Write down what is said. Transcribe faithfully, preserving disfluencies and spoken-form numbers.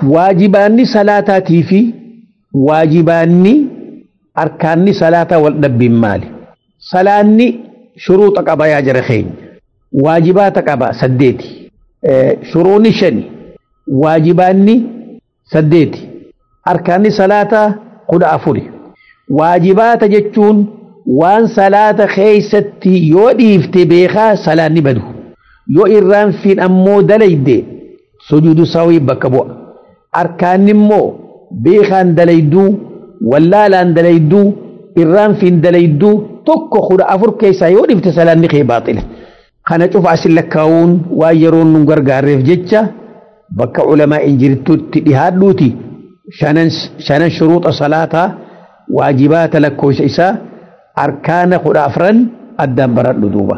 Waajibaanni salaataatii fi waajibaanni arkaanni salaataa wal dhabbiin maali? Salaanni shuruuxa qaba yaa jara keenya. Waajibaata qaba saddeeti. Shuruuni shani. Waajibaanni saddeeti. Arkaanni salaataa kudha afuri. Waajibaata jechuun waan salaata keeysatti yoo dhiifte beekaa salaanni badu. Yoo irraanfiin ammoo dalayde sujuudu sahwii bakka bu'a. Arkaanni immoo beekaan dalayduu, wallaalaan dalayduu, irraanfiin dalayduu tokko kudha afur keessaa yoo dhiifte salaanni kee baaxila. Kana cufa asin lakkaa'uun waan yeroon nu gargaarreef jecha bakka ulamaa hin jirtutti dhihaadhuuti shanan shanan shuruuxa salaataa waajibaata lakkoofsa isaa arkaana kudha afran addaan baradhu duuba.